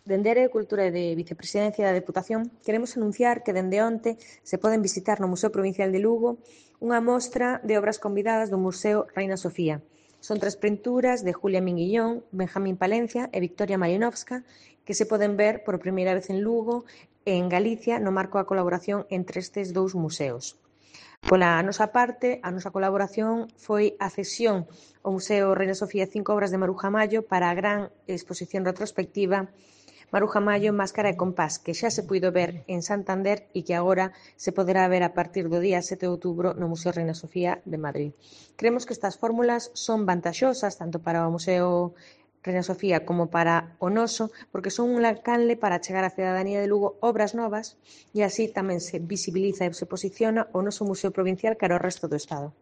Dende a Área de Cultura e de Vicepresidencia da Deputación, queremos anunciar que dende onte se poden visitar no Museo Provincial de Lugo unha mostra de obras convidadas do Museo Reina Sofía. Son 3 pinturas de Julia Minguillón, Benjamín Palencia e Victoria Marinovska que se poden ver por primeira vez en Lugo e en Galicia no marco da colaboración entre estes 2 museos. Pola nosa parte, a nosa colaboración foi a cesión ao Museo Reina Sofía 5 obras de Maruja Mallo para a gran exposición retrospectiva Maruja Mallo, Máscara e Compás, que xa se puido ver en Santander e que agora se poderá ver a partir do día 7 de outubro no Museo Reina Sofía de Madrid. Creemos que estas fórmulas son vantaxosas tanto para o Museo Reina Sofía como para o noso, porque son un canle para chegar á cidadanía de Lugo obras novas e así tamén se visibiliza e se posiciona o noso Museo Provincial cara ao resto do Estado.